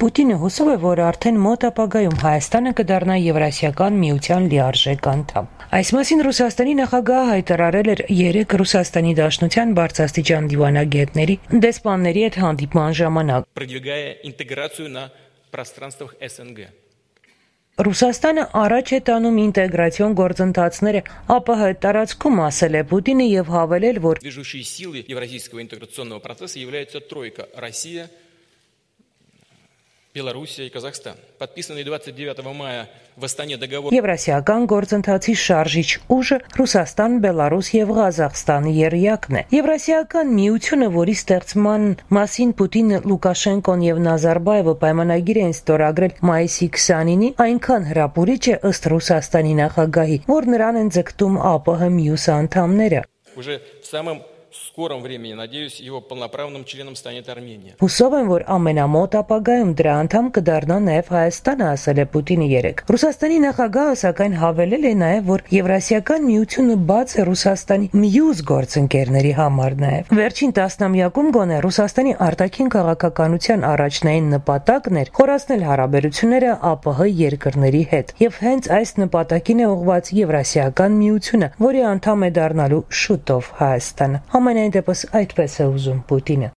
Պուտինը հուսով է, որ արդեն մոտ ապագայում Հայաստանը կդառնա Եվրասիական միության լիարժեք անդամ։ Այս մասին Ռուսաստանի նախագահը հայտարարել էր 3 Ռուսաստանի Դաշնության բարձրաստիճան դիվանագետների դեսպանների հետ հանդիպման ժամանակ։ Ռուսաստանը առաջ է տանում ինտեգրացիոն գործընթացները ԱՊՀ տարածքում, ասել է Պուտինը եւ հավելել, որ Белоруссия и Казахстан. Подписанный 29 мая в Астане договор Եվրասիական գործընթացի շարժիչ ուժը Ռուսաստան, Բելարուս եւ Ղազախստան երյակն է։ Եվրասիական միությունը, որի ստեղծման մասին Պուտինը, Լուկաշենկոն եւ Նազարբաևը պայմանագիր են ստորագրել մայիսի 29-ի, այնքան հրապուրիչ է ըստ Ռուսաստանի նախագահի, որ նրան են ձգտում ԱՊՀ մյուս անդամները։ Уже в самом скором времени, надеюсь, его полноправным членом станет Армения. Հուսով եմ, որ ամենամոտ ապագայում դրա անդամ կդառնա նաև Հայաստանը, ասել է Պուտինը 3։ Ռուսաստանի նախագահը սակայն հավելել է նաև, որ Եվրասիական միությունը բաց է Ռուսաստանի մյուս գործընկերների համար նաև։ Վերջին տասնամյակում գոնե Ռուսաստանի արտաքին քաղաքականության առաջնային նպատակն էր խորացնել հարաբերությունները ԱՊՀ երկրների հետ, եւ հենց այս նպատակին է ուղղված Եվրասիական միությունը, որի անդամ է դառնալու շուտով Հայաստանը։ Համենայն դեպս այդպես է ուզում Պուտինը։